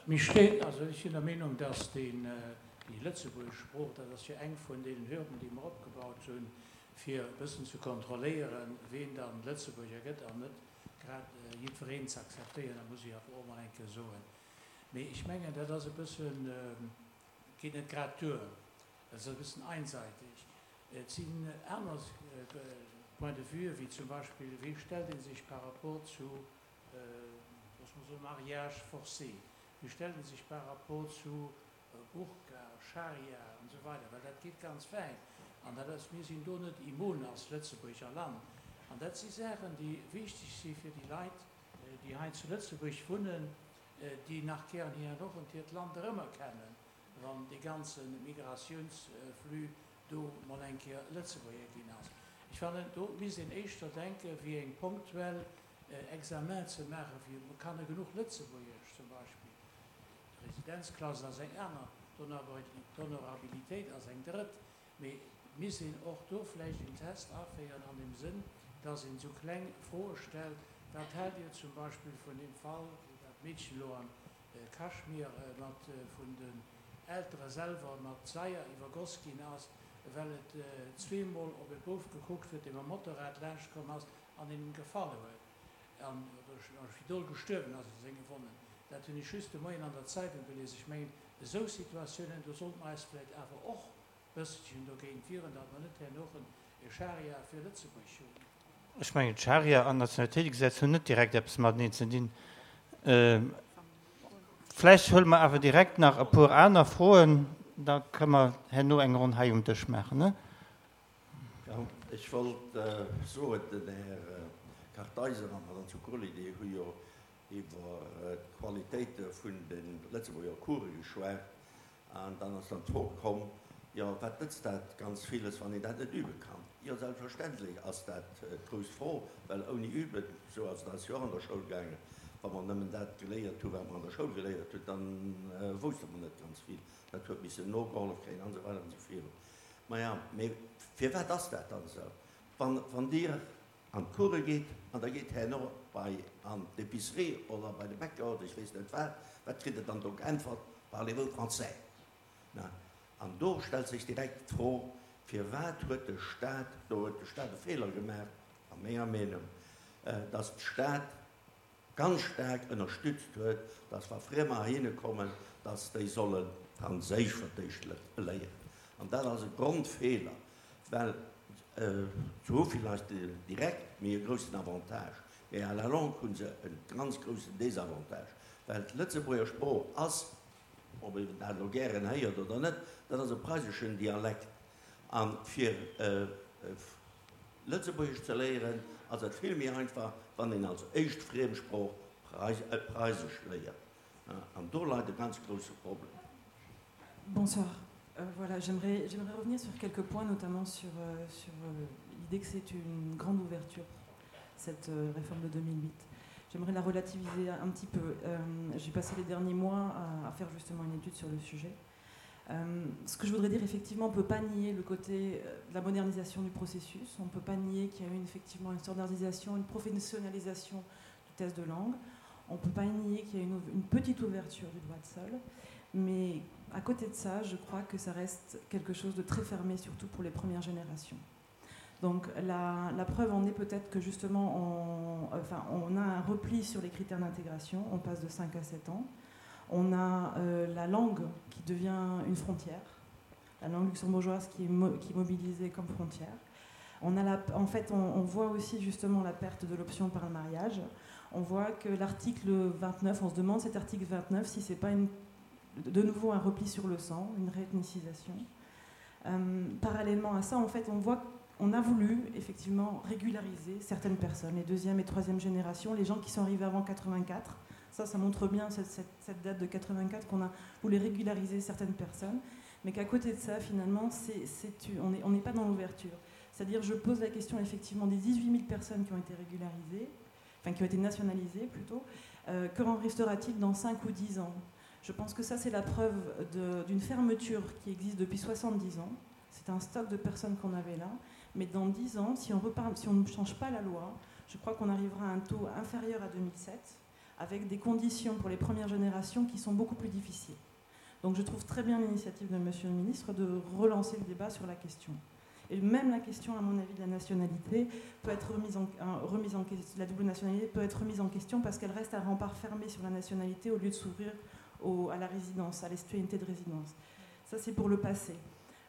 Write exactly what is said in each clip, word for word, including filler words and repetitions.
Mir steet, also ech sinn der Meenung, dass deen, déi lëtzebuergesch Sprooch, dat ass jo eng vun deenen Hürden, déi mer opgebaut hunn, fir e bëssen ze kontrolléieren, ween dann Lëtzebuerger gëtt an net grad jiddwereen ze akzeptéieren, dat muss ech awer och mol eng Kéier soen. Mee ech mengen, dat ass e bëssen, geet net grad duer, dat ass e bëssen einseitig. Et sinn aner Points de vue, wéi zum Beispill, wéi stellt ee sech par rapport zu, loosse mer soen, Mariage forcé, wéi stellt ee sech par rapport zu Burka, Scharia an esou weider, well dat geet ganz wäit an dat ass, mir sinn do net immun als Lëtzebuerger Land. An dat si Saachen, déi wichteg si fir déi Leit, déi hei zu Lëtzebuerg wunnen, déi nach gären hir och hiert Land erëmerkennen, wann dee ganze Migratiounsflux do mol eng Kéier Lëtzebuerger ginn ass. Ech fannen, do misst een éischter denken, wéi eng punktuell Examen ze maachen, fir kann e genuch Lëtzebuergesch zum Beispill. D'Residenzklaus ass eng aner, d'Honorabilitéit ass eng drëtt, mee misst een och do vläicht en Test aféieren an dem Sënn, dass een esou kleng Froe stellt, wat haalt Dir zum Beispill vun deem Fall, wou dat Meedchen elo am Kaschmir mat vun den Eltere selwer mat Saier iwwergoss ginn ass, well et zweemol op e Bouf gekuckt huet, dee mam Motorrad laanscht komm ass an him gefall huet an am Spidol gestuerwen ass u senge Wonnen. Dat hunn ech just de Moien an der Zeitung gelies. Ech mengen, esou Situatiounen, do sollte mer eis vläicht awer och bësselchen dogéint wieren, datt mer net herno e Scharia fir Lëtzebuerg hunn. Ech mengen, d'Scharia an d'Nationalitéitegesetz hunn net direkt eppes mateneen ze dinn. Vläicht huele mer awer direkt nach e puer aner Froen, da kënne mer herno eng Ronn hei um Dësch maachen. Jo, ech wollt soen, den Här Kartheiser an d'Madame Zuccoli, déi hu jo iwwer d'Qualitéite vun de Lëtzebuerger Course geschwat. An dann ass dann d'Fro komm, jo, wat nëtzt dat ganz villes, wann een dat net übe kann? Jo, selbstverständlech ass dat d'grouss Fro, well ouni Üben, esou ass et eis jo och an der Schoul gaangen, wa mer nëmmen dat geléiert hu wat mer an der Schoul geléiert hunn, da wousste mer net ganz vill, dat huet missen nogehollef kréien an esou weider an esou virun. Maja, mee firwat ass dat dann esou? Wann, wann Dir an d'Course geet an der geet herno bei an d'Épicerie oder bei de Bäcker oder ech weess net wat, wat kritt Der dann do geäntwert? Parlez-vous français? Na, an do stellt sech direkt d'Fro, firwat huet de Staat, do huet de Staat e Feeler gemaach, a menger Meenung, dass d'Stad ganz staark ënnerstützt huet, dass wa Friemer heihinne kommen, dass déi solle Franséisch fir d'éischt léieren. An dat ass e Grondfeeler, well se hu vielleicht direkt méi e groussen Avantage, mee à la longue hu se e ganz groussen Désavantage, well d'Lëtzebuerger Sprooch ass, ob een dat elo gären héiert oder net, dat ass e preiseschen Dialekt. A fir Lëtzebuergesch ze léieren, ass et vill méi einfach, wann een als éischt Friemsprooch Preisesch léiert. An do leit e ganz grousse Problem. Bonsoir. Euh, voilà, j'aimerais, j'aimerais revenir sur quelques points, notamment sur, euh, sur euh, l'idée que c'est une grande ouverture, cette euh, réforme de deux mille huit. J'aimerais la relativiser un petit peu. Euh, j'ai passé les derniers mois à, à faire justement une étude sur le sujet. Euh, ce que je voudrais dire, effectivement, on ne peut pas nier le côté euh, de la modernisation du processus. On ne peut pas nier qu'il y a eu effectivement une standardisation, une professionnalisation du test de langue. On ne peut pas nier qu'il y a une, une petite ouverture du droit de sol. Mais à côté de ça, je crois que ça reste quelque chose de très fermé, surtout pour les premières générations. Donc la, la preuve en est peut-être que justement on, enfin, on a un repli sur les critères d'intégration, on passe de cinq à sept ans. On a euh, la langue qui devient une frontière, la langue luxembourgeoise qui est, mo qui est mobilisée comme frontière. On a la, en fait, on, on voit aussi justement la perte de l'option par le mariage. On voit que l'article vingt-neuf, on se demande cet article vingt-neuf si c'est pas une, de nouveau un repli sur le sang, une réethnicisation. Euh, parallèlement à ça, en fait, on voit qu'on a voulu effectivement régulariser certaines personnes, les deuxième et troisième générations, les gens qui sont arrivés avant quatre-vingt-quatre. Ça, ça montre bien cette, cette, cette date de quatre-vingt-quatre qu'on a voulu régulariser certaines personnes, mais qu'à côté de ça, finalement, c'est, c'est, on n'est on n'est pas dans l'ouverture. C'est-à-dire, je pose la question effectivement des dix-huit mille personnes qui ont été régularisées, enfin qui ont été nationalisées plutôt, euh, que en restera-t-il dans cinq ou dix ans ? Je pense que ça, c'est la preuve de, d'une fermeture qui existe depuis soixante-dix ans. C'est un stock de personnes qu'on avait là. Mais dans dix ans, si on repart, si on ne change pas la loi, je crois qu'on arrivera à un taux inférieur à deux mille sept, avec des conditions pour les premières générations qui sont beaucoup plus difficiles. Donc je trouve très bien l'initiative de Monsieur le ministre de relancer le débat sur la question. Et même la question, à mon avis, de la nationalité peut être remise en, remise en la double nationalité peut être remise en question parce qu'elle reste un rempart fermé sur la nationalité au lieu de s'ouvrir à la résidence, à la citoyenneté de résidence. Ça, c'est pour le passé.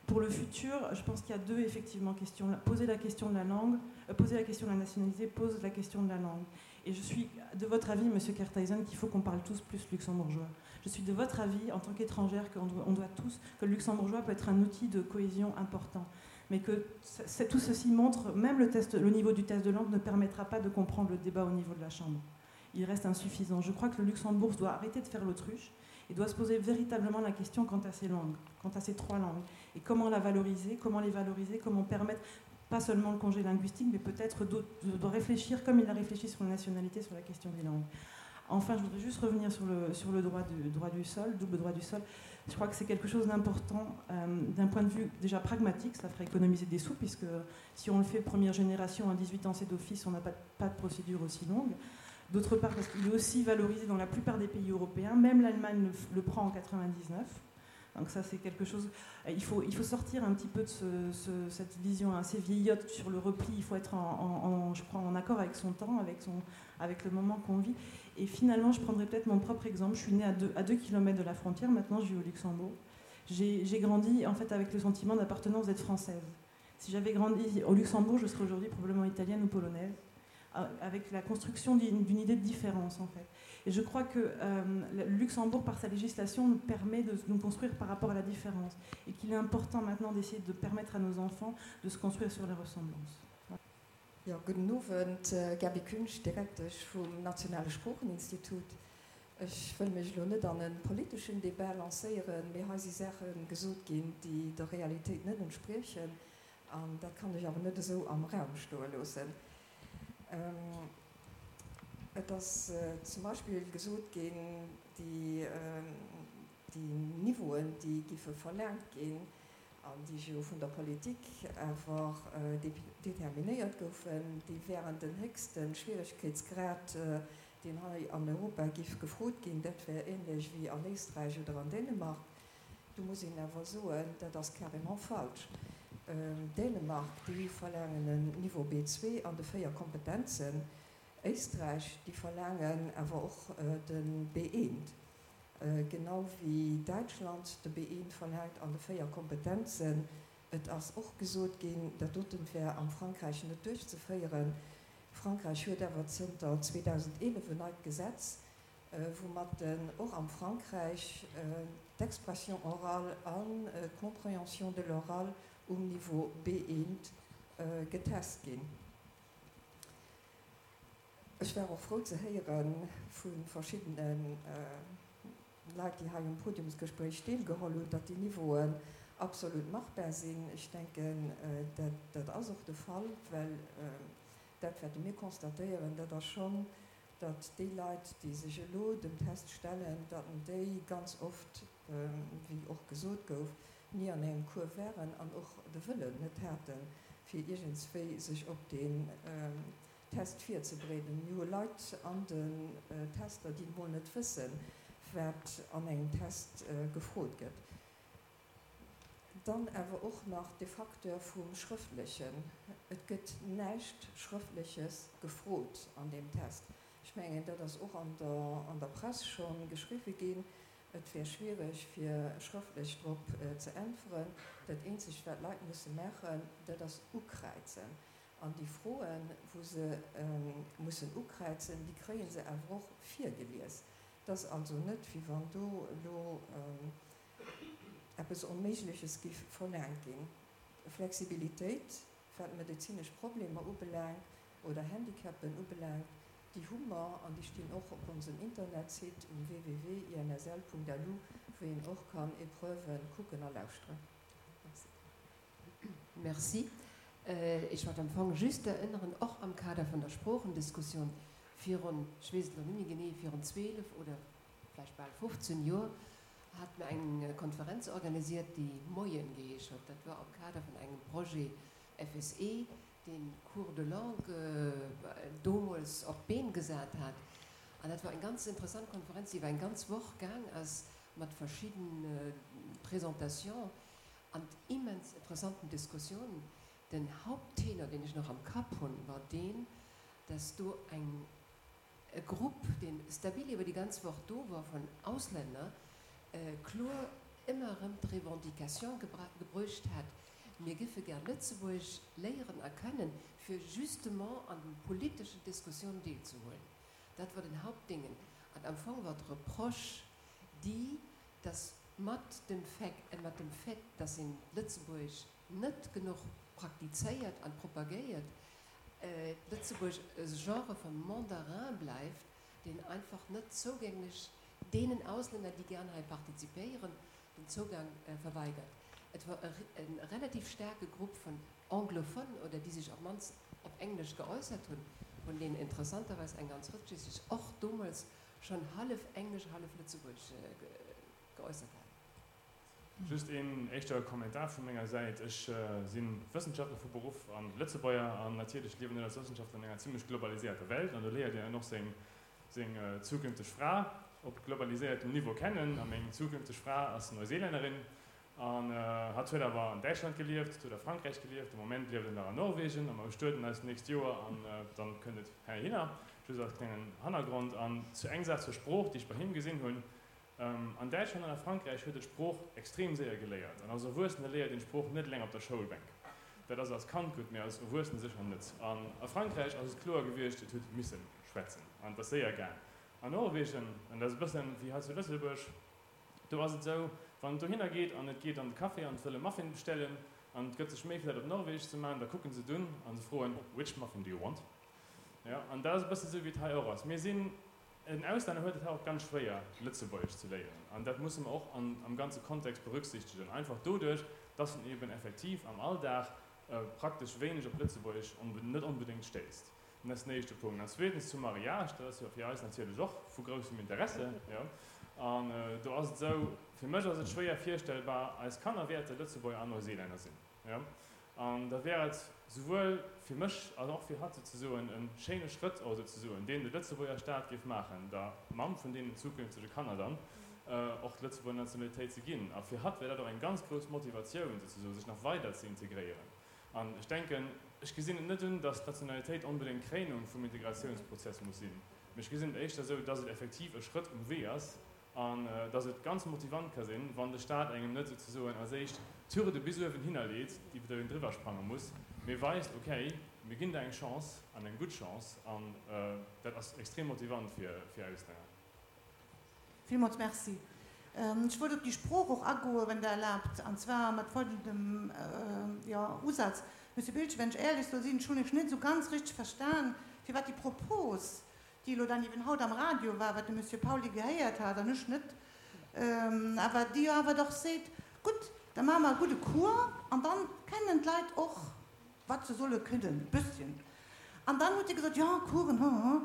Pour le futur, je pense qu'il y a deux effectivement questions. Poser la question de la langue, euh, poser la question de la nationalité pose la question de la langue. Et je suis de votre avis, Monsieur Kartheiser, qu'il faut qu'on parle tous plus luxembourgeois. Je suis de votre avis, en tant qu'étrangère, qu'on doit, on doit tous, que le luxembourgeois peut être un outil de cohésion important. Mais que tout ceci montre, même le, test, le niveau du test de langue ne permettra pas de comprendre le débat au niveau de la Chambre. Il reste insuffisant. Je crois que le Luxembourg doit arrêter de faire l'autruche et doit se poser véritablement la question quant à ces langues, quant à ces trois langues. Et comment la valoriser, comment les valoriser, comment permettre pas seulement le congé linguistique, mais peut-être de, de réfléchir comme il a réfléchi sur la nationalité, sur la question des langues. Enfin, je voudrais juste revenir sur le, sur le droit, du, droit du sol, double droit du sol. Je crois que c'est quelque chose d'important euh, d'un point de vue déjà pragmatique, ça ferait économiser des sous, puisque si on le fait première génération à dix-huit ans, c'est d'office, on n'a pas, pas de procédure aussi longue. D'autre part, parce qu'il est aussi valorisé dans la plupart des pays européens, même l'Allemagne le, le prend en quatre-vingt-dix-neuf. Donc ça, c'est quelque chose... Il faut, il faut sortir un petit peu de ce, ce, cette vision assez vieillotte sur le repli. Il faut être, en, en, en, je crois, en accord avec son temps, avec, son, avec le moment qu'on vit. Et finalement, je prendrai peut-être mon propre exemple. Je suis née à deux, à deux kilomètres de la frontière. Maintenant, je vis au Luxembourg. J'ai, j'ai grandi en fait, avec le sentiment d'appartenance d'être française. Si j'avais grandi au Luxembourg, je serais aujourd'hui probablement italienne ou polonaise, avec la construction d'une, d'une idée de différence, en fait. Et je crois que euh, le Luxembourg, par sa législation, nous permet de nous construire par rapport à la différence. Et qu'il est important maintenant d'essayer de permettre à nos enfants de se construire sur les ressemblances. Ja, gudden Owend, Gaby Künsch, Direktesch vum Nationale Sproocheninstitut. Ech wëll mech lo net an e politeschen Debat lancéieren, mee hei si Saache gesot ginn, déi der Realitéit net entspriechen. An dat kann ech awer net esou am Raum stoe loossen. Ähm, et ass äh, zum Beispill gesot ginn, déi, ähm, déi Niveauen, déi giffe verlaangt ginn, an déi jo vun der Politik einfach äh, determinéiert goufen, déi wären den héchste Schwieregkeetsgrad, äh, deen hei an Europa giff gefrot ginn, dat wär änlech wéi an Éisträich oder an Dänemark. Do muss een awer soen, dat ass carrément falsch. Ähm, Dänemark, déi verlaangen en Niveau B zwee an de véier Kompetenzen. Éisträich, déi verlaangen awer och äh, de B eent. Äh, genau wéi Däitschland de B eent verlaangt an de véier Kompetenzen. Et ass och gesot ginn, dat doten wär am Frankräich net duerchzeféieren. Frankräich huet awer zënter zweedausendeelef en neit Gesetz, äh, woumat den och am Frankräich, äh, d'Expression orale an, äh, d'Compréhension de l'oral um Niveau B eent, äh, getest ginn. Ech war och frou ze héiere vu verschiddenen, äh, Leit, déi hei um Podiumsgespréich deelgeholl hunn, datt déi Niveauen absolut machbar sinn. Ech denken, äh, dat, dat ass och de Fall, well, äh, dat wäerte mir constatéieren, dat ass schonn, datt déi Leit, déi sech elo dem Test stellen, datt déi ganz oft, ähm, wéi och gesot gouf, ni an engem Cours wären an och de Wëllen net haten, fir iergendswéi sech op den, ähm, Test virzebereeden. Mir hu Leit an den, äh, Tester, déi mol net wëssen, wat an engem Test, äh, gefrot gëtt. Dann awer och nach de Facteur vum Schrëftlechen. Et gëtt näischt Schrëftleches gefrot an deem Test. Ech mengen, dat ass och an der, an der Press schonn geschriwwe ginn. Et wär schwiereg, fir schrëftlech drop, äh, ze äntweren. Dat eenzegt, wat d'Leit musse maachen, dat ass ukräizen. An déi Froen, wou se, ähm, mussen ukräizen, déi kréie se awer och virgelies. Dat ass also net, wéi wann do elo, ähm, eppes Onméigleches giff verlaangt ginn. Flexibilitéit, wat medezinesch Problemer ubelaangt oder Handicapen ubelaangt, déi hu mer an déi stinn och op onsem Internetsite um w w w punkt i n s l punkt l u, wou een och kann Epreuven kucken a lauschteren. Merci. Merci. Äh, ech wollt am Fong just erënneren, och am Kader vun der Sproochendiskussioun, virun, ech weess et elo net méi genee, virun zwielef oder vläicht bal fofzéng Joer, hat mer eng Konferenz organisiert, déi Moien geheescht huet. Dat war am Kader vun engem Projet F S E, deen Cours de langue, äh, domols op d'Been gesat hat. An dat war eng ganz interessant Konferenz, déi iwwer eng ganz Woch gaang ass, mat verschiddene Presentations an immens interessanten Diskussiounen. Den Haupttenor, deen ech nach am Kapp hunn, war deen, dass do eng e Grupp, deen stabil iwwer déi ganz Woch do war, vun Auslänner, kloer ëmmer erëm d'Revendication gebruecht hat, Mir giffe gär Lëtzebuergesch léieren a kënnen, fir justement an den politeschen Diskussiounen deelzehuelen. Dat war den Hauptdingen. An am Fong war d'Reproche déi, dass mat dem Fait, mat dem Fait, dass een d'Lëtzebuergesch net genuch praktizéiert an propagéiert, Lëtzebuergesch e Genre vu Mandarin bleift, deen einfach net zougänglech deenen Auslänner, déi gären hei partizipéieren, den Zougang verweigert. Et war e relativ staarke Grupp vun Anglophonen, oder déi sech op d'mannst op Englesch geäussert hunn, vun deenen interessanterweis eng ganz Rëtsch, déi sech och domols schonn hallef Englesch, hallef Lëtzebuergesch geäussert haten. Just een éischter Kommentar vu menger Säit. Ech si Wëssenschaftler vu Beruff a Lëtzebuerger an natierlech liewen ech als Wëssenschaftler an enger zimlech globaliséierter Welt an do léiert een och seng seng zukünfteg Fra op globaliséiertem Niveau kennen. A meng zukünfteg Fra ass Neuseelännerin an hatt huet awer an Däitschland gelieft, huet a Frankräich gelieft, de Moment lieft en nach an Norwegen a mer bestueden eis d'nächst Joer an dann kënnt et heihinner. Just als klengen Hannergrond. An zu eng Saach zur Sprooch, déi ech bei him gesinn hunn, An Däitschland an a Frankräich huet e d'Sprooch extrem séier geléiert. An als Erwuessene léiert een d'Sprooch net eleng op der Schoulbänk. Dat ass als Kand gutt, mee als Erwuessene sécher net. An a Frankräich ass et kloer gewiescht, et huet misse schwätzen. An et ass séier gaang. An Norwegen, an dat ass e bëssen wéi hei zu Lëtzebuerg, do ass et esou, wann et dohinner geet an et geet an de Café an et wëll e Muffin bestellen an et gëtt sech Méi fir dat op Norwegesch ze maachen, da kucken se et un a se froen, Which muffin do you want? Jo, an dat ass e bësse esou wéi et hei och ass. Mir sinn. En Auslänner huet et hei och ganz schwéier, Lëtzebuergesch ze léieren. An dat musse mer och am ganze Kontext berücksichtegen. Einfach doduerch, dass en eben effektiv am Alldag praktesch wéineg op Lëtzebuergesch net onbedéngt stéisst. Dat ass den éischte Punkt. An zweetens zum Mariage, dat ass jo fir eis natierlech och vu groussem Interesse. Jo. An do ass et esou, fir mech ass et schwéier virstellbar, eis Kanner wäerte Lëtzebuerger an Neuseelänner sinn. Jo. An da wär et souwuel fir mech als och fir hatt souzesoen e schéine Schrëtt och souzesoen, deen de Lëtzebuerger Staat géif maachen, der Mamm vun deenen zukünftege Kanner dann och d'Lëtzebuerger Nationalitéit ze ginn. A fir hatt wär dat och eng ganz grouss Motivatioun souzesoen, sech nach weider ze integréieren. An ech denken, ech gesinn et net un, datt d'Nationalitéit onbedéngt d'Kréinung vum Integratiounsprozess muss sinn, mee ech gesinn et éischter esou, datt et effektiv e Schrëtt um Wee ass, An dass et ganz motivant ka sinn, wann de Staat engem net souzesoen als éischt d'Hürde bis uewen hinner leet, iwwer déi een driwwer sprange muss, mee weist, okay, mir ginn der eng Chance, an eng gutt Chance, an dat ass extrem motivant fir Auslänner. Villmools Merci. Ech wollt op déi Sprooch och agoen, wann Der erlaabt, an zwar mat folgendem, jo, Usaz. Monsieur Biltgen, wenn ech éierlech soll sinn, ech hunn Iech net esou ganz richteg verstan, firwat déi Propos, déi elo dann eben haut am Radio war, wat de Monsieur Pauly gehéiert hat an ech net, awer déi jo awer dach seet, Gutt, da maache mer e gudde Cours an dann kennen d'Leit och, wat se solle kënnen, e bësschen. An dann huet Dir gesot, Jo, Coursen, hu, hu.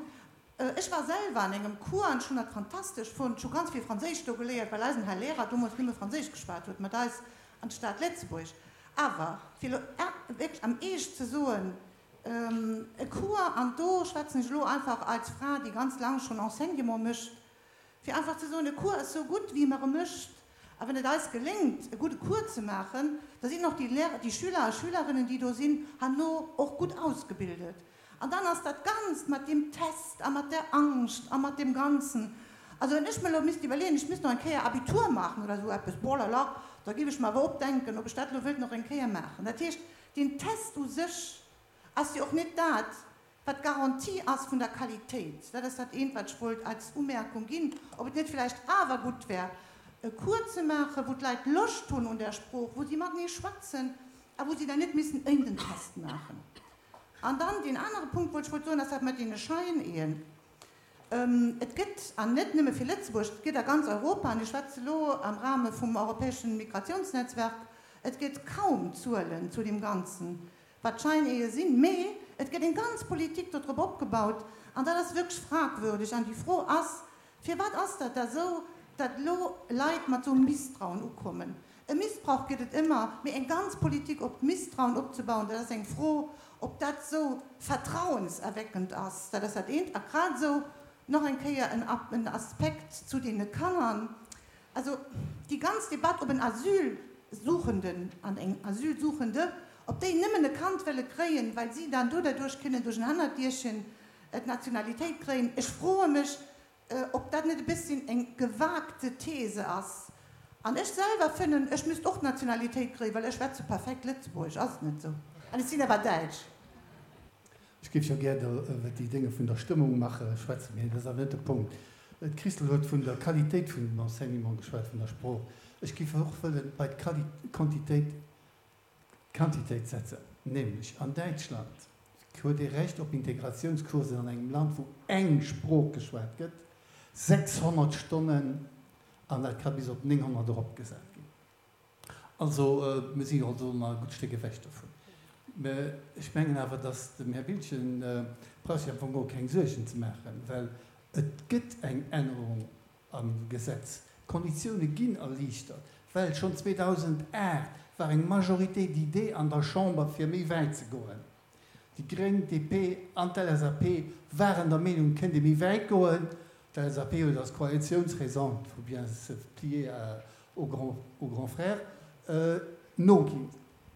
Ech war selwer an engem Cours an ech hunn dat fantastesch fonnt. Ech hu ganz vill Franséisch do geléiert, well eisen Här Lehrer domols nëmme Franséisch geschwat huet mat eis an d'Stad Lëtzebuerg. Awer fir elo wierklech am Eescht ze soen, E Cours, an do schwätzen ech elo einfach als Fra, déi ganz laang schonn Enseignement mécht, fir einfach ze soen, e Cours ass sou gutt, wéi mer e mécht. A wann et eis geléngt, e gudde Cours ze maachen, da sinn och déi Lehrer, déi Schüler a Schülerinnen, déi do sinn, herno och gutt ausgebildet. An dann ass dat Ganzt mat deem Test a mat där Angscht a mat deem Ganzen, also wann ech mer elo misst iwwerleeën, ech misst nach eng Kéier Abitur maachen oder esou eppes, boah la la, da géif ech mer awer opdenken, ob ech dat elo wëllt nach eng Kéier maachen. Dat heescht, deen Test u sech ass jo och net dat, wat d'Garantie ass vun der Qualitéit. Dat ass dat eent, wat ech wollt als Umerkung ginn, ob et net vläicht awer gutt wär, e Cours ze maachen, wou d'Leit Loscht hunn un där Sprooch, wou si matenee schwätzen a wou si dann net missen iergend en Test maachen. An dann deen anere Punkt, wou ech wollt soen, ass dat mat deene Scheineeën. Et gëtt, an net nëmme fir Lëtzebuerg, et gëtt a ganz Europa, an ech schwätze elo am Rahme vum europäeschen Migrationsnetzwerk, et gëtt kaum Zuelen zu deem Ganzen, wat d'Scheineeë sinn, mee et gëtt eng ganz Politik dodrop opgebaut, an dat ass wierklech fragwürdeg. An déi Fro ass, Firwat ass dat da esou, datt elo Leit mat esou Misstrauen ukommen? E Missbrauch gëtt et ëmmer, mee eng ganz Politik op Misstrauen opzebauen, dat ass eng Fro, ob dat esou vertrauenserweckend ass. Dat ass dat eent. A grad esou Nach eng Kéier en, en Aspekt zu deene Kanner. Also déi ganz Debatt, ob en Asylsuchenden an eng Asylsuchende, ob déi nëmmen e Kand wëlle kréien, well si dann do derduerch kënnen duerch en Hannerdierchen d'Nationalitéit kréien, ech froe mech, ob dat net e bësschen eng gewagte These ass. An ech selwer fannen, ech misst och d'Nationalitéit kréien, well ech schwätze perfekt Lëtzebuergesch, ass et net esou? An ech sinn awer Däitsch. Ech géif jo gär iwwer déi Dénge vun der Stëmmung maache schwätzen, mee dat ass awer net de Punkt. D'Christol huet vun der Qualitéit vun dem Enseignement geschwat, vun der Sprooch. Ech géif och wëlle bei d'Quantitéit d'Quantitéit setzen, nämlech an Däitschland huet ee Recht op Integratiounscoursen an engem Land, wou eng Sprooch geschwat gëtt, sechshonnert Stonnen, an dat ka bis op nénghonnert eropgesat ginn. Also, mir si also nach e gutt Stéck ewech dovun. Mä ech mengen awer, datt dem Här Biltgen brauch sech am Fong geholl keng Suergen ze maachen, well et gëtt eng Ännerung am Gesetz. D'Konditioune ginn erliichtert, well schonn zweedausendacht war eng Majorité d'idées an der Chamber, fir méi wäit ze goen. Déi gréng, d'DP an d'LSAP waren der Meenung, et kéint ee méi wäit goen. D'LSAP huet als Koalitiounsraison, il faut bien se plier au grand, au grand frère, noginn.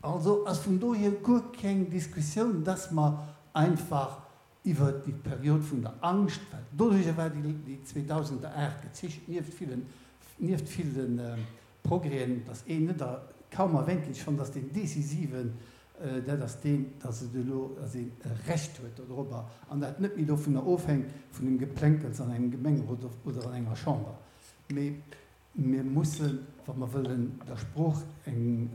Also ass vun dohier guer keng Diskussioun, dass mer einfach iwwert déi Period vun der Angscht, well doduerjer war déi zweedausendacht gezeechent, nieft villen, nieft ville Progrèsen, dass een net a kaum erwähnt ginn, ech fannen, dass deen decisiven, dat ass deen, dass et elo, dass een e Recht huet dodrobber an dat net méi dovunner ofhänkt vun dem Geplänkels an engem Gemengerot oder an enger Chamber. Mee mir mussen, wa mer wëllen der Sprooch eng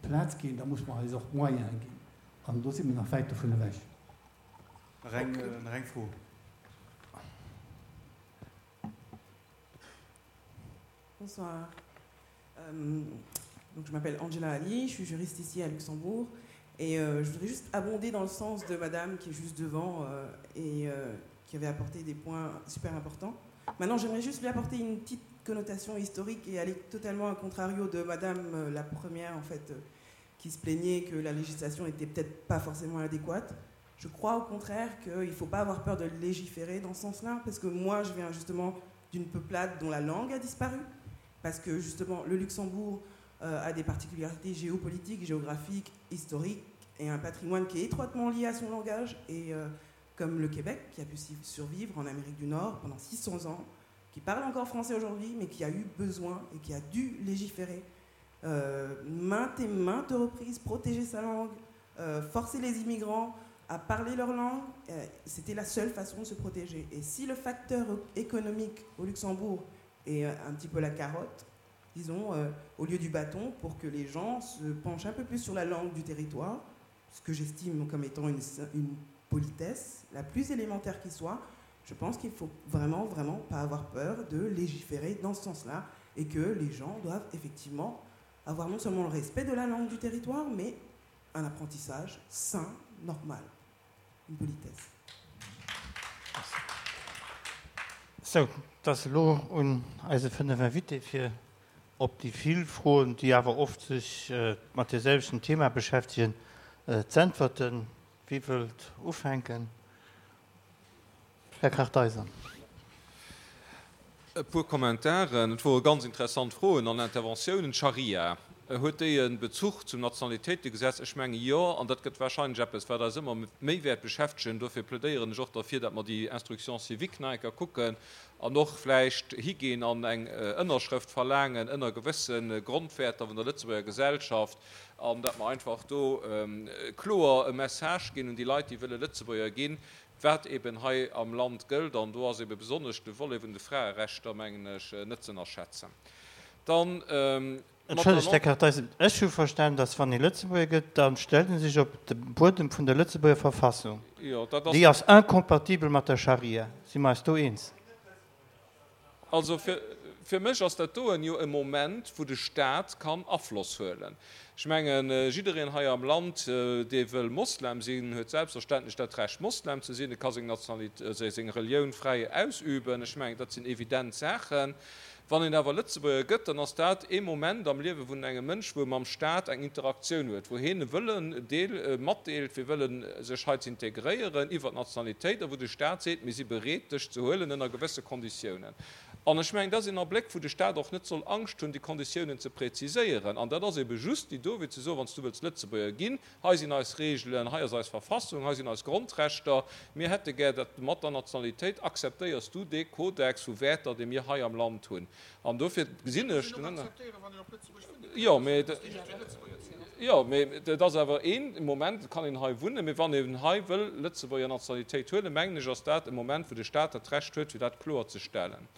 Plaz ginn, da muss mer eis och Moyene ginn. An do si mer nach wäit dovun ewech. Nach eng, nach eng Fro. Bonsoir. Donc, je m'appelle Angela Ali, je suis juriste ici à Luxembourg. Et euh, je voudrais juste abonder dans le sens de madame qui est juste devant euh, et euh, qui avait apporté des points super importants. Maintenant, j'aimerais juste lui apporter une petite connotation historique et aller totalement à contrario de madame euh, la première, en fait, euh, qui se plaignait que la législation n'était peut-être pas forcément adéquate. Je crois au contraire qu'il ne faut pas avoir peur de légiférer dans ce sens-là, parce que moi, je viens justement d'une peuplade dont la langue a disparu, parce que justement, le Luxembourg euh, a des particularités géopolitiques, géographiques, historiques, et un patrimoine qui est étroitement lié à son langage, et euh, comme le Québec, qui a pu survivre en Amérique du Nord pendant six cents ans, qui parle encore français aujourd'hui, mais qui a eu besoin et qui a dû légiférer euh, maintes et maintes reprises, protéger sa langue, euh, forcer les immigrants à parler leur langue, euh, c'était la seule façon de se protéger. Et si le facteur économique au Luxembourg est un petit peu la carotte, disons, euh, au lieu du bâton, pour que les gens se penchent un peu plus sur la langue du territoire, ce que j'estime comme étant une, une politesse la plus élémentaire qui soit, je pense qu'il faut vraiment, vraiment pas avoir peur de légiférer dans ce sens-là et que les gens doivent effectivement avoir non seulement le respect de la langue du territoire, mais un apprentissage sain, normal, une politesse. Sou, et ass elo un eise fënnef Invité fir op déi vill Froen, déi awer oft sech mat deem selwechten Thema beschäftegen, z'äntwerten. Wie wëllt ufänken? Här Kartheiser. E puer Kommentaren. Et wore ganz interessant Froen an Interventiounen. D'Scharia, huet déi e Bezuch zum Nationalitéitegesetz? Ech menge jo, an dat gëtt warscheinlech eppes, wat eis ëmmer méi wäert beschäftegen. Dofir plädéieren ech och derfir, datt mer déi Instruction civique nach eng Kéier kucken an och vläicht higinn an eng Ënnerschrëft verlaangen ënner gewësse Grondwäerter vun der Lëtzebuerger Gesellschaft an datt mer einfach do kloer e Message ginn un déi Leit, déi wëlle Lëtzebuerger ginn, wat eben hei am Land gëllt, an do ass ebe besonnesch de Volet vun de Fraerechter, mengen ech, net ze ënnerschätzen. Dann mat der Entschëllegt, Här Kartheiser, ech hu verstan, datt wann ee Lëtzebuerger gëtt, da stellt e sech op de Buedem vun der Lëtzebuerger Verfassung. Jo, dat ass. Déi ass incompatibel mat der Scharia. Si mer eis do eens? Also fir, fir mech ass dat doen jo e Moment, wou de Staat kann Afloss huelen. Ech mengen, jiddereen hei am Land, dee wëll Moslem sinn, huet selbstverständlech dat Recht, Moslem ze sinn. E ka seng Nationalitéit, seng Relioun fräi ausüben. Ech mengen, dat sinn evident Saachen. Wann een awer Lëtzebuerger gëtt, dann ass dat ee Moment am Liewe vun engem Mënsch, wou e mam Staat eng Interaktioun huet, wou hien e Wëllen deel, matdeelt, fir wëllen sech hei ze integréieren iwwer d'Nationalitéit a wou de Staat seet, mir si bereet, dech ze huelen ënner gewësse Konditiounen. An ech mengen, dat ass een Abléck, wou de Staat och net soll Angscht hunn, déi Konditiounen ze präziséieren. An dat ass ebe just déi do, wéi ze soen, wann s du wëlls Lëtzebuerger ginn, hei sinn eis Regeln, hei ass eis Verfassung, hei sinn eis Grondrechter, mir hätte gär, datt mat der Nationalitéit akzeptéiers du dee Kodex vu Wäerter, dee mir hei am Land hunn. An dofir gesinn ech den Ënner. Jo, mee, jo, mee et ass awer een Moment, et kann een hei wunnen, mee wann een hei wëll Lëtzebuerger Nationalitéit huelen, mengen ech, ass dat e Moment, wou de Staat dat Recht huet, fir dat kloer ze stellen.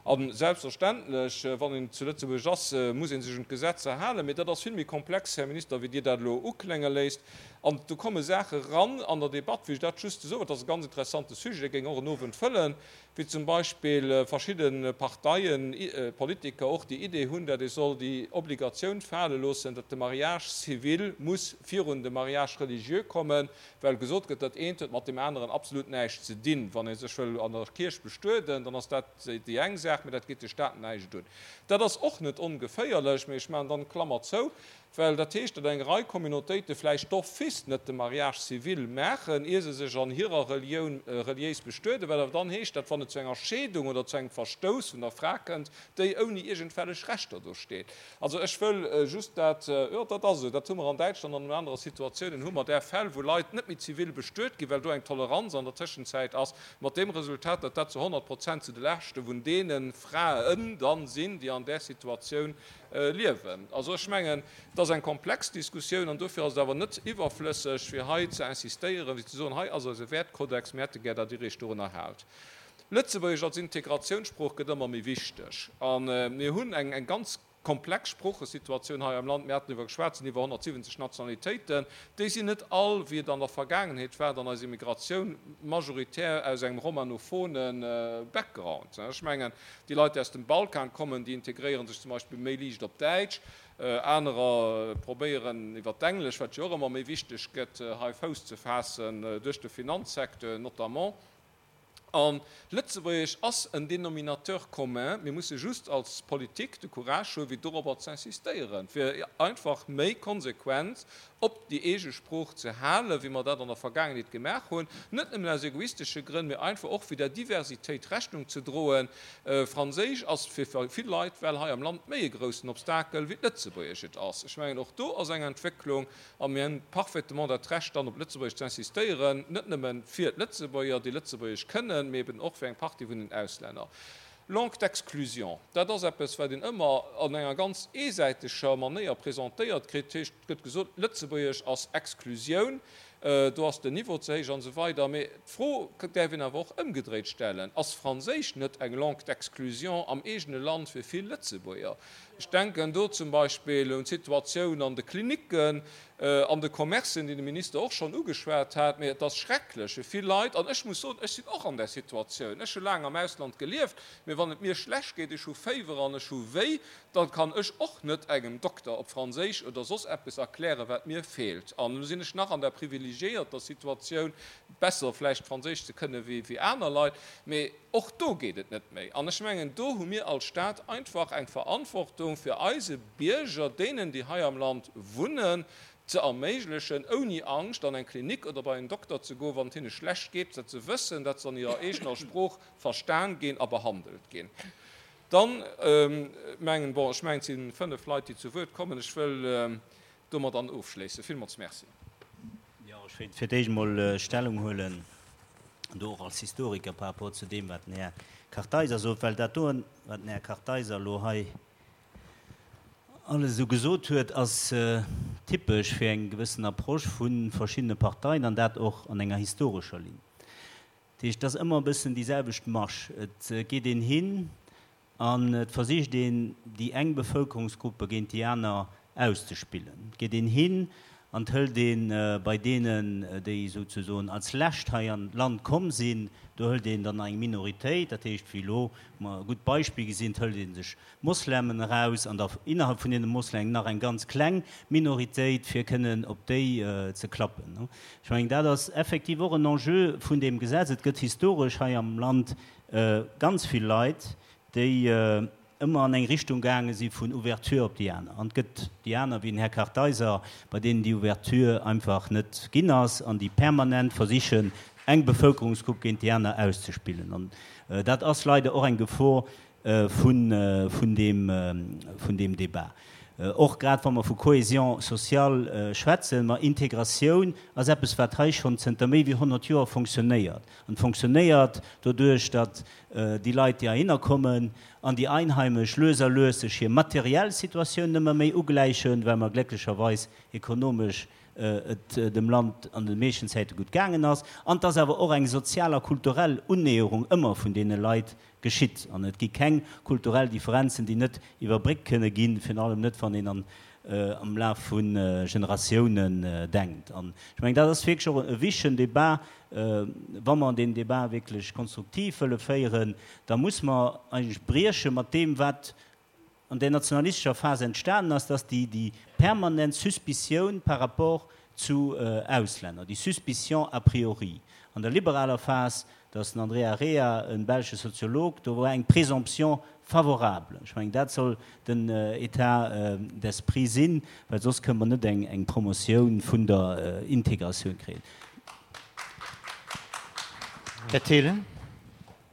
A selbstverständlech, wann een zu Lëtzebuerg ass, muss ee sech un d'Gesetzer halen. Mee dat ass vill méi komplex, Här Minister, wéi Dir dat elo uklénge léisst. An do komme Saache ran an der Debatt, wéi ech dat just soen, dat ass e ganz interessante Sujet, dee géing och en Owend fëllen, wéi zum Beispill verschidde Parteien, Politiker och déi Idee hunn, datt ee soll déi Obligatioun fale loossen, datt de Mariage civil muss virun de Mariage religieux kommen, well gesot gëtt, dat eent huet mat deem aneren absolut näischt ze dinn. Wann ee sech wëll an der Kierch bestueden, dann ass dat déi eng Saach, mä dat geet de Staat näischt un. Dat ass och net ongeféierlech, mä ech maachen dann d'Klammer zou, well dat heescht, datt eng Rei Communautéite vläicht d'office net de Mariage civil maachen, ier se sech an hirer Relioun reliéis bestueden, wat awer dann heescht, datt wann et zu enger Scheedung oder zu engem Verstouss vun der Fra kënnt, déi ouni iergendwellech Rechter do steet. Also ech wëll just dat, jo, dat ass esou, dat hu mer an Däitschland an an anere Situatiounen hu mer där Fäll, wou Leit net méi zivil bestuet ginn, well do eng Toleranz an der Tëschenzäit ass, mat deem Resultat, datt dat zu honnert Prozent zu de Laaschte vun deene Fraen dann sinn, déi an där Situatioun liewen. Also ech mengen, et ass eng komplex Diskussioun an dofir ass et awer net iwwerflësseg, fir hei ze insistéieren, fir ze soen, hei ass eise Wäertkodex, mir hätte gär, datt Dir Iech dorunner haalt. Lëtzebuergesch als Integratiounssprooch gëtt ëmmer méi wichteg a mir hunn eng ganz komplex Sproochesituatioun hei am Land. Mir haten driwwer geschwat, et sinn iwwer honnertsiwwenzeg Nationalitéiten. Déi sinn net all, wéi et an der Vergaangenheet war, an eiser Immigratioun majoritär aus engem romanophone Background. Ech mengen, déi Leit, déi aus dem Balkan kommen, déi integréiere sech zum Beispill méi liicht op Däitsch. Anerer probéieren iwwer d'Englesch, wat jo och ëmmer méi wichteg gëtt, hei Fouss ze faassen, duerch de Finanzsecteur notamment. A Lëtzebuergesch ass en Dénominateur commun. Mir musse just als Politik de Courage hu fir dorobber ze insistéieren, fir einfach méi konsequent op déi eege Sprooch ze halen, wéi mer dat an der Vergaangenheet gemaach hunn, net nëmmen aus egoistesche Grënn, mee einfach och fir der Diversitéit Rechnung ze droen. Franséisch ass fir vill Leit well hei am Land méi e groussen Obstakel wéi d'Lëtzebuergesch et ass. Ech mengen, och do ass eng Entwécklung. A mir hunn parfaitement dat Recht, dann op Lëtzebuergesch ze insistéieren, net nëmme fir d'Lëtzebuerger, déi Lëtzebuergesch kënnen, mee eben och fir eng Partie vun den Auslänner. Langue d'exclusion, dat ass eppes, wat een ëmmer an enger ganz eesäiteger Manéier presentéiert kritt. Dat heescht, et gëtt gesot, Lëtzebuergesch ass Exklusioun, do ass den Niveau ze héich an esou weider. Mee d'Fro däerf een awer och ëmgedréit stellen, Ass Franséisch net eng Langue d'exclusion am eegene Land fir vill Lëtzebuerger? Ech denken do zum Beispill un d'Situatioun an de Klinicken, an de Commercen, déi de Minister och schonn ugeschwat hat. Mee et ass schrecklech fir vill Leit, an ech muss soen, ech sinn och an där Situatioun, ech hu laang am Ausland gelieft, mee wann et mir schlecht geet, ech hu Féiwer an ech hu wéi, da kann ech och net engem Dokter op Franséisch oder soss eppes erklären, wat mir feelt. An elo sinn ech nach an der privilegiéierter Situatioun, besser vläicht Franséisch ze kënne wéi aner Leit, mee och do geet et net méi. An ech mengen, do hu mir als Staat einfach eng Verantwortung, fir eise Bierger, deenen, déi hei am Land wunnen, ze erméiglechen, ouni Angscht an eng Klinik oder bei en Dokter ze goen, wann et hinne schlecht geet, dat se wëssen, datt se an hirer eegener Sprooch verstan ginn a behandelt ginn. Dann mengen, bon, ech mengen, et si fënnef Leit, déi zu Wuert kommen. Ech wëll domat dann ofschléissen. Villmools Merci. Jo, ech wéilt fir d'éischt emol Stellung huelen, do och als Historiker par rapport zu deem, wat den Här Kartheiser sot, well dat doen, wat den Här Kartheiser elo hei alles esou gesot huet, ass typesch fir eng gewëssen Approche vu verschiddene Parteien, an dat och an enger historescher Linn. Dat heescht, et ass ëmmer e bëssen déi selwecht Masch. Et geet een hin an et versicht een, déi eng Bevëlkerungsgruppe géint déi aner auszespillen. Et geet een hin an et hëlt ee bei deenen, déi souzesoen als lescht hei an d'Land komm sinn, do hëlt een dann eng Minoritéit, dat heescht, wéi elo mer e gutt Beispill gesinn, et hëlt ee sech Moslemen eraus an da innerhalb vun deene Moslemen nach eng ganz kleng Minoritéit, fir kënnen op déi ze klappen. Ech mengen, dat ass effektiv och en Enjeu vun deem Gesetz. Et gëtt historesch hei am Land ganz vill Leit, déi ëmmer an eng Richtung gaange si vun Ouverture op déi aner. An et gëtt déi aner, wéi den Här Kartheiser, bei deenen déi Ouverture einfach net ginn ass an déi permanent versichen, eng Bevëlkerungsgrupp géint déi aner auszespillen. An dat ass leider och eng Gefor vun, vun deem, vun deem Débat. Och grad wa mer vu Cohésion sociale schwätzen, ma Integratioun ass eppes, wat hei schonn zënter méi wéi honnert Joer fonctionnéiert. An fonctionnéiert doduerch, datt déi Leit, déi heihinner kommen, an déi Einheimesch lues a lues sech hir materiell Situatioun ëmmer méi ugläichen, well mer glécklecherweis ekonomesch et dem Land an de meeschten Zäite gutt gaangen ass, an dass awer och eng sozial a kulturell Unnäherung ëmmer vun deene Leit geschitt. An et gi keng kulturell Differenzen, déi net iwwerbréckt kënne ginn, virun allem net, wann een an am Laf vu Generatiounen denkt. An ech mengen, dat ass wierklech och e wichtegen Débat. Wa mer deen Débat wierklech konstruktiv wëlle féieren, da muss mer eigentlech brieche mat deem, wat an där nationalistescher Phas entstanen ass, dass déi, déi permanent Suspicioun par rapport zu Auslänner, déi Suspicion a priori. An der liberaler Phas, dat ass den André Errea, e belsche Soziolog, do war eng Présomption favorable. Ech mengen, dat soll den État d'esprit sinn, well soss kënne mer net eng, eng Promotioun vun der Integratioun kréien. Här Thelen.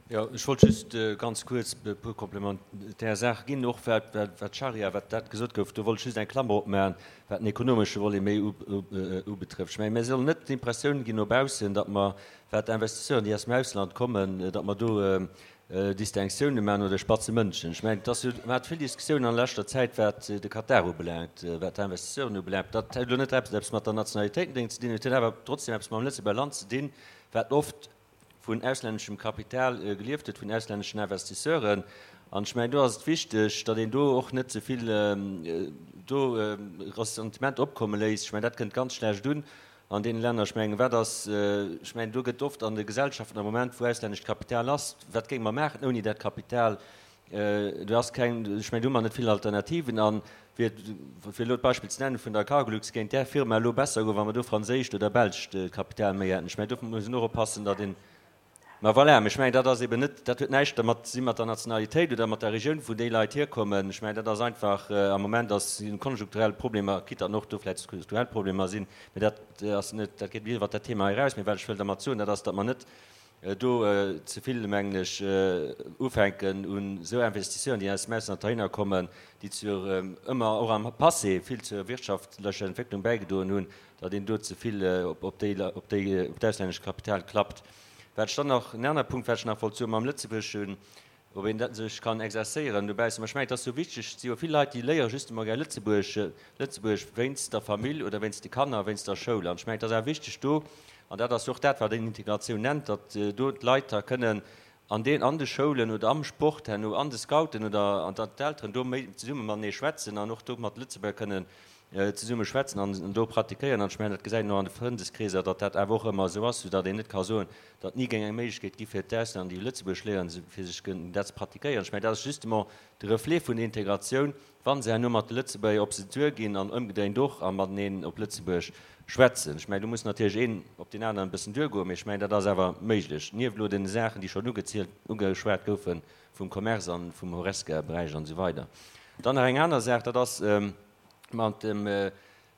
Jo, ech wollt just ganz kuerz e puer komplementär Saache ginn, och wat d'Scharia, wat dat gesot gouf. Do wollt ech just eng Klammer opmaachen, wat den ekonomesche Volet méi ubetrëfft. Ech mengen, mir sollen net d'Impressioun ginn no baussen, datt mer, wat d'Investisseuren, déi aus dem Ausland kommen, datt mer do Distinctiounen maachen oder spatze Mënschen. Ech mengen, et ass jo, mer hate vill Diskussiounen an leschter Zäit, wat de Katar ubelaangt, wat d'Investisseuren ubelaangt. Dat huet elo net eppes mat der Nationalitéitendéng ze dinn, et huet awer trotzdem eppes mam Lëtzebuerger Land ze dinn, wat oft vun auslänneschem Kapital gelieft huet, vun auslänneschen Investisseuren. An ech mengen, do ass et wichteg, datt een do och net ze vill do Ressentiment opkomme léisst. Ech mengen, dat kënnt ganz schlecht un an deene Länner. Ech mengen, wat ass, ech mengen, do gëtt oft an de Gesellschaften am Moment, wou auslännescht Kapital ass, wat géinge mer maachen ouni dat Kapital? Do ass keng, ech mengen, do hu mer net vill Alternativen. A fir, fir elo d'Beispill ze nennen vun der Cargolux, géing där Firma elo besser goen, wa mer do franséischt oder belscht Kapital méi hätten. Ech mengen, do muss een och oppassen, datt een, Ma voilà, mee ech mengen, dat ass eben net, dat huet näischt dermat ze si mat der Nationalitéit oder mat der Regioun, wou déi Leit hierkommen. Ech mengen, dat ass einfach, am Moment ass, si konjunkturell Problemer, quitte datt och do vläicht strukturell Problemer sinn, mee dat ass net, dat geet iwwert dat Thema eraus. Mee wat ech wëll dermat soen, dat ass, datt mer net do ze vill, mengen ech, ufänken un esou Investisseuren, déi aus dem Ausland heihinner kommen, déi zur, ëmmer och am Passé vill zur wirtschaftlecher Entwécklung bäigedroen hunn, datt een do ze vill op déi, op déi, op d'auslännescht Kapital klappt. Wat ech dann nach, en anere Punkt, wat ech nach wollt soen, mam Lëtzebuergeschen, ob een dat sech kann exerzéieren dobaussen, mä ech mengen, et ass jo wichteg, et si jo vill Leit, déi léiere justement gär Lëtzebuerg, Lëtzebuergesch wéinst der Famill oder wéinst de Kanner, wéinst der Schoul. An ech mengen, et ass awer wichteg do, an dat ass jo och dat, wat een Integratioun nennt, datt do d'Leit da kënnen an den, an de Schoulen oder am Sport herno, an de Scouten oder, an datt d'Elteren do méi zesumme matenee schwätzen an och do mat Lëtzebuerger kënnen zesumme schwätzen an do pratiquéieren. An ech mengen, dat gesäit een och an de Frëndeskreeser, datt dat awer och ëmmer esou ass, soudatt een net ka soen, datt ni géing eng Méiglechkeet gi fir d'Auslänner, déi Lëtzebuergesch léieren, fir sech kënnen dat ze pratiquéieren. Ech mengen, dat ass justement de Reflet vun der Integratioun, wa se herno mat de Lëtzebuerger op se duerginn an ëmgedréint och a mateneen op Lëtzebuerg schwätzen. Ech mengen, do muss natierlech een op deen aneren e bëssen duergoen, mee ech mengen, dat ass awer méiglech, nieft elo deene Saachen, déi schonn ugezielt, ugeschwat goufe vum Commerce a vum Horesca-Beräich an esou weider. Dann nach eng aner Saach, dat ass, Mat dem,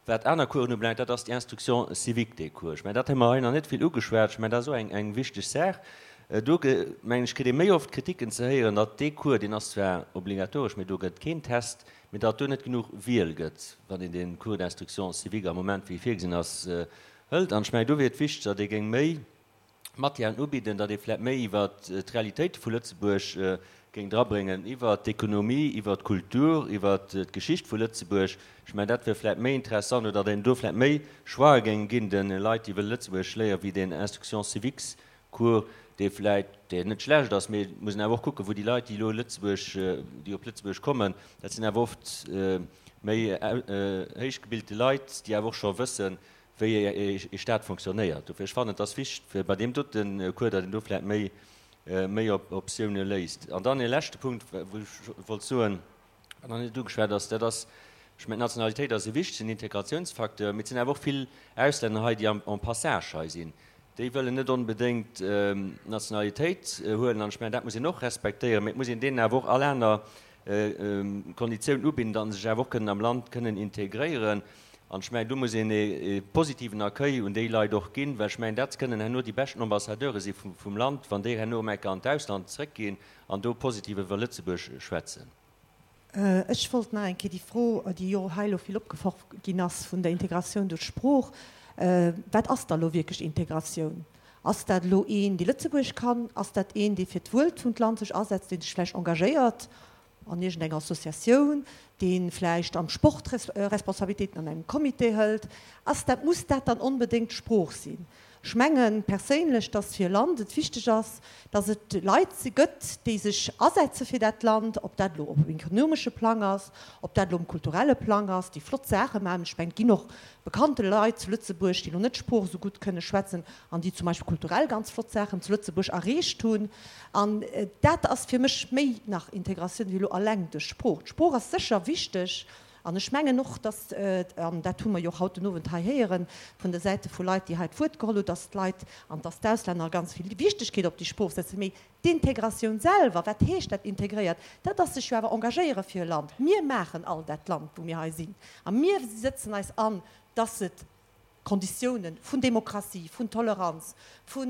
wat aner Coursen ubelaangt, dat ass déi Instruction civique, dee Cours. Ech mengen, dat hu mer hei nach net vill ugeschwat. Ech mengen, dat ass och eng, eng wichteg Saach. Do, mengen ech, kritt ee méi oft Kritiken ze héieren, datt dee Cours, deen ass zwar obligatoresch, mee do gëtt keen Test, mee datt do net genuch Wiel gëtt, wann een dee Cours d'instruction civique am Moment, wéi e virgesinn ass, hëlt. An ech mengen, do wier et wichteg, datt ee géing méi Matièren ubidden, datt ee vläicht méi iwwer d'Realitéite vu Lëtzebuerg géing drabréngen, iwwer d'Ekonomie, iwwer d'Kultur, iwwer d'Geschicht vu Lëtzebuerg. Ech mengen, dat wier vläicht méi interessant oder datt een do vläicht méi Choixë géing ginn de Leit, déi wëlle Lëtzebuergesch léieren, wéi deen Instruction civiques-Cours, dee vläicht, deen net schlecht ass, mee et muss een awer och kucken, wou déi Leit, déi elo Lëtzebuerg, déi op Lëtzebuerg kommen, dat sinn awer oft méi héichgebilte Leit, déi awer och scho wëssen, wéi ee Staat fonctionnéiert. Dofir, ech fannen, et ass wichteg, fir bei deem dote Cours, datt een do vläicht méi, méi Optioune léisst. An dann ee leschte Punkt, wou ech wollt soen, wat nach net ugeschwat ass, dat ass, ech mengen, d'Nationalitéit ass e wichtegen Integratiounsfacteur, mee et sinn awer och vill Auslänner hei, déi am en passage hei sinn. Déi wëllen net onbedéngt d'Nationalitéit huelen. An ech mengen, dat muss een och respektéieren, mee et muss een deenen awer och all aner Konditioun ubidden, datt se sech awer och kënnen am Land kënnen integréieren. An ech mengen, do muss een e positiven Accueil un déi Leit och ginn, well ech mengen, dat kënnen herno déi beschten Ambassadeure si vum Land, wann déi herno erëm eng Kéier an d'Ausland zrëckginn an do positiv iwwer Lëtzebuerg schwätzen. Ech wollt nach eng Kéier déi Fro, déi jo hei elo vill opgeworf ginn ass, vun der Integratioun duerch d'Sprooch, Wat ass da elo wierklech Integratioun? Ass dat elo een, dee Lëtzebuergesch kann? Ass dat een, dee fir d'Wuel vum Land sech asetzt, dee sech vläicht engagéiert an iergendenger Associatioun, dee vläicht am Sport Responsabilitéiten an engem Comité hëlt? Ass dat, muss dat dann onbedéngt d'Sprooch sinn? Ech menge perséinlech, dass fir e Land et wichteg ass, dass et Leit gëtt, déi sech asetze fir dat Land, ob dat elo op ekonomesche Plang ass, ob dat elo um kulturelle Plang ass, déi flott Saache maachen. Ech mengen, et ginn och bekannte Leit zu Lëtzebuerg, déi elo net d'Sprooch esou gutt kënne schwätzen an déi zum Beispill kulturell ganz flott Saachen zu Lëtzebuerg erreecht hunn. An dat ass fir mech méi nach Integratioun wéi elo alleng duerch d'Sprooch. D'Sprooch ass sécher wichteg an ech mengen och, dass, an dat hu mer jo och haut den Owend hei héieren vun de Säite vu Leit, déi hei d'Wuert geholl hunn, dass d'Leit an dass d'Auslänner ganz vill Wichtegkeet op déi Sprooch setzen. Mee d'Integratioun selwer, wat heescht dat integréiert? Dat ass sech jo awer engagéiere fir e Land. Mir maachen all dat Land, wou mir hei sinn, a mir sëtzen eis an, dass et Konditiounen vun Demokratie, vun Toleranz, vu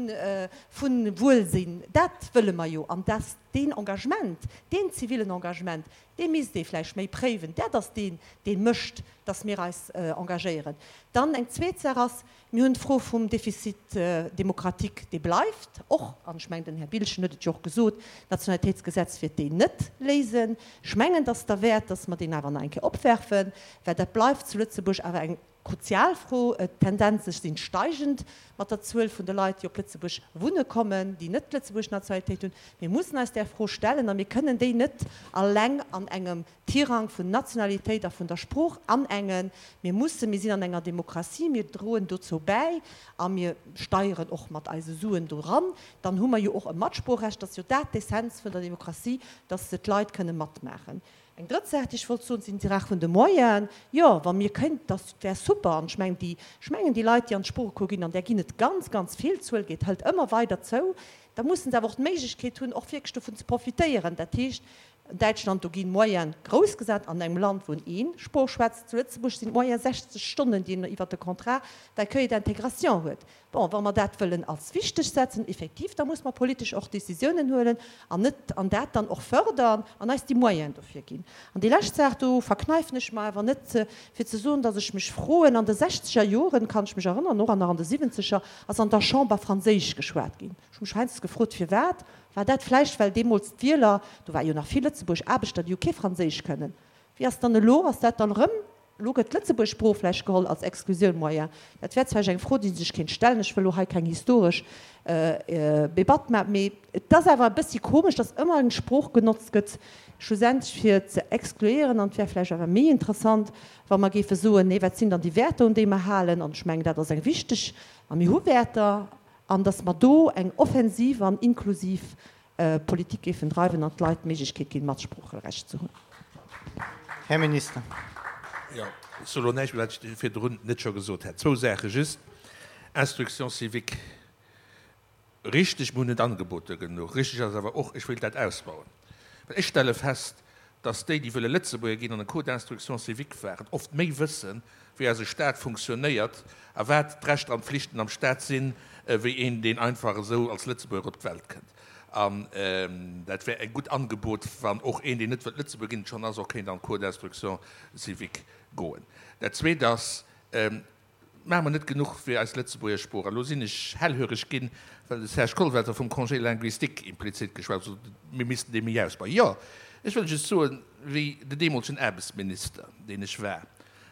Wuelsinn, dat wëlle mer jo. An dass deen Engagement, deen zivilen Engagement, dee misst ee vläicht méi préiwen. Dat ass deen, dee mécht, dass mir eis engagéieren. Dann eng zweet Saach ass, mir hunn d'Fro vum Déficit démocratique, dee bleift och, an ech mengen, den Här Biltgen huet et jo och gesot, d'Nationalitéitsgesetz wäert deen net léisen. Ech mengen, dass derwäert, dass mer deen awer nach eng Kéier opwerfen, well dat bleift zu Lëtzebuerg awer eng Kruzial Fro. D'Tendenze sinn steigend mat der Zuel vun de Leit, déi op Lëtzebuerg wunne kommen, déi net d'lëtzebuergesch Nationalitéit hunn. Mir mussen eis där Fro stellen a mir kënnen déi net alleng an engem Tirang vun Nationalitéit a vun der Sprooch anengen. Mir mussen, mir sinn an enger Demokratie, mir droen dozou bäi a mir steieren och mat eise Suen doran, dann hu mer jo och e Matsproochrecht. Dat ass jo dat d'Essenz vun der Demokratie, dass d'Leit kënne matmaachen. Eng drëtt Saach, déi ech wollt soen, sinn d'Saach vun de Moyenen. Jo, wa mir kënnt, dat wär super. An ech mengen, déi, ech mengen, déi Leit, déi an d'Sproochecours ginn, an där ginn et ganz, ganz vill, d'Zuel geet, hëlt ëmmer weider zou, da mussen se awer och d'Méiglechkeet hunn, och wierklech dovun ze profitéieren. Dat heescht, an Däitschland, do ginn Moyene grouss gesat, an engem Land, wou een een Sprooch schwätzt. Zu Lëtzebuerg sinn d'Moyene sechzeg Stonnen, déi een iwwert de Contrat d'accueil et d'intégration huet. Bon, wa mer dat wëllen als wichteg setzen, effektiv, da muss mer politesch och Décisiounen huelen an net, an dat dann och fördern an eis déi Moyenen dofir ginn. An déi lescht Saach, do verkneifen ech mer awer net, fir ze soen, dass ech mech froen, an de sechzeger Joren, kann ech mech erënnern, och nach an de siwwenzeger, ass an der Chamber Franséisch geschwat ginn. Ech hu mech heiansdo gefrot, firwat. War dat vläicht, well deemools d'Wieler, do war jo nach vill Lëtzebuerg Aarbechter, déi jo kee Franséisch kënnen. Wéi ass dann elo? Ass dat dann erëm Elo gëtt d'Lëtzebuerg Sprooch vläicht geholl als Exklusioun moyen. Dat wär zwar eng Fro, déi sech kéint stellen, ech wëll elo hei keng historesch Debatt maachen, mee et ass awer e bëssi komesch, datt ëmmer eng Sprooch genotzt gëtt, schlussendlech fir ze exkluéieren. An et wär vläicht awer méi interessant, wa mer géife soen, nee, wat sinn dann déi Wäerter, un déi mer halen? An ech mengen, dat ass eng wichteg, a mir hu Wäerter, an datt mer do eng offensiv an inklusiv Politik géifen dreiwen an d'Leit d'Méiglechkeet ginn, Matsproocherecht ze hunn. Här Minister. Jo, ech soe lo näischt méi, wat ech virdrun net scho gesot hätt. Zwou Saache just. Instruction civique, richteg, mir hunn net Angeboter genuch. Richteg ass awer och, ech wéilt dat ausbauen, well ech stelle fest, dass déi, déi wëlle Lëtzebuerger ginn an e Cours d'instruction civique waren, oft méi wëssen, wéi eise Stat funktionéiert a wat d'Rechter an d'Flichten am Stat sinn, wéi een, deen einfach esou als Lëtzebuerger op d'Welt kënnt. An dat wär e gutt Angebot, wann och een, deen net wëllt Lëtzebuerger ginn, et schonn ass, och kéint an d'Cours d'instruction civique goen. Dat Zweet ass, Maache mer net genuch fir eis Lëtzebuerger Sprooch? An elo sinn ech hellhöreg ginn, well de Serge Kollwelter vum Congé linguistique implizit geschwat huet, mir missten dee méi ausbauen. Jo, ech wëll just soen, wéi den deemolegen Aarbechtsminister, deen ech war,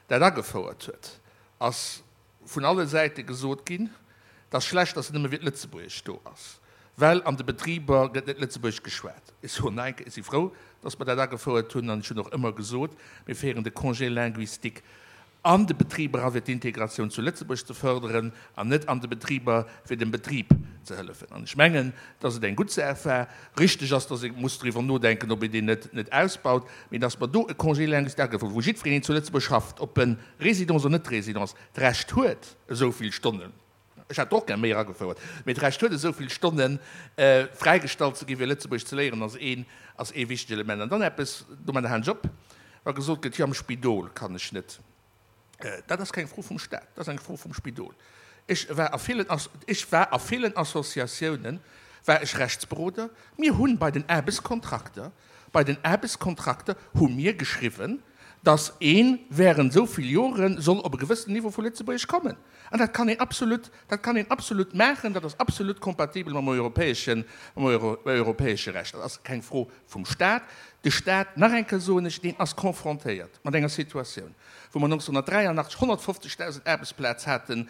dat agefouert huet, ass vun alle Säite gesot ginn, Et ass schlecht, dass nëmme fir d'Lëtzebuergesch do ass, well an de Betriber gëtt net Lëtzebuergesch geschwat. Ech soen nach eng Kéier, ech si frou, dass mer dat agefouert hunn an ech hunn och ëmmer gesot, mir féieren de Congé linguistique an de Betriber a fir d'Integratioun zu Lëtzebuerg ze förderen an net an de Betriber fir dem Betrib ze hëllefen. An ech mengen, dass et eng gutt Saach war. Richteg ass, dass ee muss driwwer nodenken, ob een deen net net ausbaut, mee dass mer do e Congé linguistique agefouert hunn, wou jiddwereen, deen zu Lëtzebuerg schafft, ob en Résidence oder net Résidence, d'Recht huet, esou vill Stonnen Ech hätt och gär méi eragefouert, mee d'Recht huet esou vill Stonne fräigestallt ze ginn, fir Lëtzebuergesch ze léieren, ass een, ass ee wichtegt Element. An dann eppes, domadder halen ech op, wa gesot gëtt, jo am Spidol kann ech net. Dat ass keng Fro vum Staat, dat ass eng Fro vum Spidol. Ech war a villen, ech war a villen Associatiounen, war ech Rechtsberoder. Mir hunn bei den Aarbechtskontrakter, bei den Aarbechtskontrakter hu mir geschriwwen, dass ee während esou vill Jore soll op e gewëssenen Niveau vu Lëtzebuergesch kommen. An dat kann een absolut, dat kann een absolut maachen, dat ass absolut kompatibel mam europäeschen, mam europäesche Recht. Dat ass keng Fro vum Staat. De Staat, nach eng Kéier soen ech, deen ass confrontéiert mat enger Situatioun, wou mer nonzehnhunnertdräianachtzeg honnertfofzegdausend Aarbechtsplaz haten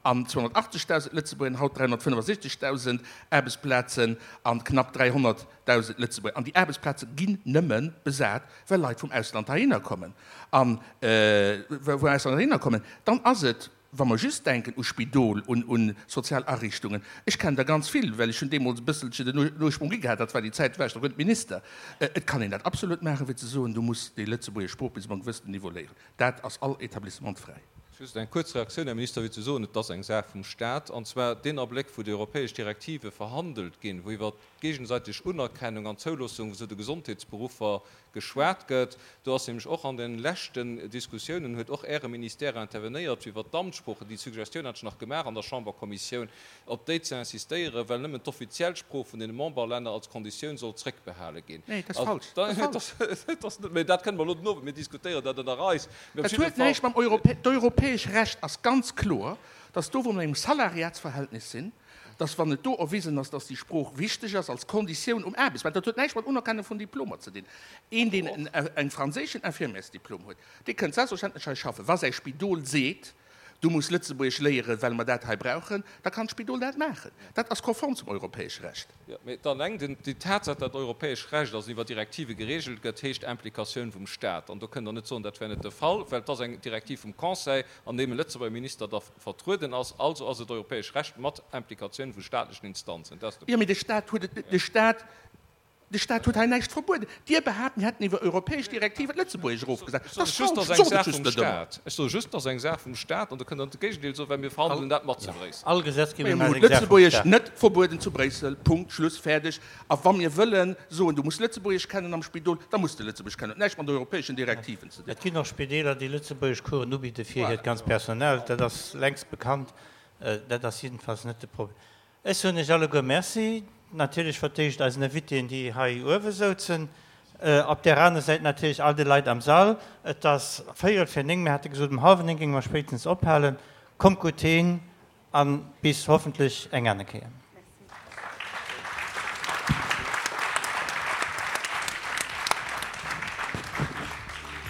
an zweihunnertachtzegdausend Lëtzebuerger, haut dräihunnertfënnefasiechzegdausend Aarbechtsplazen an knapp dräihonnertdausend Lëtzebuerger. An déi Aarbechtsplaze ginn nëmme besat, well Leit vum Ausland heihinner kommen. An vum Ausland heihinner kommen. Dann ass et, wa mer just denken u Spidol, un, un sozial Ariichtungen, ech kennen der ganz vill, well ech hunn deemools e bësselche den Ursprung gi gehat, dat war déi Zäit, war ech nach guer net Minister, et kann een dat absolut maachen, fir ze soen, du muss déi lëtzebuergesch Sprooch bis op e gewëssenen Niveau léieren. Dat ass all Etablissement fräi. Just eng kuerz Reaktioun, Här Minister, fir ze soen, et ass eng Saach vum Stat, an zwar deen Abléck, wou déi europäesch Direktive verhandelt ginn, wou iwwert d'géigesäiteg Unerkennung an Zouloossung zu de Gesondheetsberuffer geschwat gëtt. Do ass nämlech och an de leschten Diskussiounen, huet och Äre Ministère intervenéiert iwwert d'Amtssproochen, déi Suggestioun hat ech nach gemaach an der Chamberkommissioun, op déi ze insistéieren, well nëmmen d'offiziell Sprooch vun deene Memberlänner als Konditioun soll zréckbehale ginn. Nee, dat ass falsch. Dat ass falsch. Dat ass net, mee dat kënne mer elo den Owend, mir diskutéieren dat ënner eis. Mee op Dat jidde huet Fall. näischt mam Europä-, d'europäesch Recht ass ganz kloer, dass do, wou mer an engem Salariatsverhältnis sinn, dass wann et do erwisen ass, dass déi Sprooch wichteg ass als Konditioun um Aarbechtsmaart, dat huet näischt mat Unerkennung vun Diplomer ze dinn. Een, deen en, en franséischen Infirmiersdiplom huet, dee kënnt selbstverständlech hei schaffen. Wa säi Spidol seet, du muss Lëtzebuergesch léieren, well mer dat hei brauchen, da kann d'Spidol dat maachen. Dat ass konform zum europäesche Recht. Jo, mee alleng den, déi Tatsaach, datt europäesch Recht also iwwer Direktive geregelt gëtt, heescht Implikatioun vum Staat. An do kënnt Der net soen, dat wär net de Fall, well et ass eng Direktiv vum Conseil, an deem e Lëtzebuerger Minister da vertrueden ass. Also ass et europäesch Recht mat Implikatioun vu staatlechen Instanzen. Dat ass de Jo, mee de Staat huet et, de Staat, de Staat huet hei näischt verbueden. Dir behaapt, mir hätten iwwer europäesch Direktiven d'Lëtzebuergesch erofgesat. Ech Dat soe ass just, falsch. dat ass eng Sot et Saach just vum net ëmmer. Staat. Ech soe just, dat ass eng Saach vum Staat, an do kënnt Der net de Géigendeel soen, well mir verhandelen dat mat zu Bréissel. All Gesetzgebung Mir ass hunn eng Saach vum d'Lëtzebuergesch Staat. net verbueden zu Bréissel. Punkt, Schluss, fäerdeg. A wa mir wëllen soen, du muss Lëtzebuergesch kennen am Spidol, da muss de Lëtzebuergesch kennen. Huet näischt mat europäeschen Direktiven ze dinn. Et ginn och Spideeler, déi Lëtzebuergeschcoursen ubidde fir hiert ganz Personal. Dat ass längst bekannt. Dat ass jiddefalls net de Problem. Ech soen Iech alleguer Merci. Natierlech fir d'éischt eisen Invitéen, déi hei uewe souzen. Op där aner Säit natierlech all de Leit am Sall. Et ass véierel vir néng, mir hate gesot, um hallwer néng géinge mer spéitstens ophalen. Kommt gutt heem a bis hoffentlech eng aner Kéier.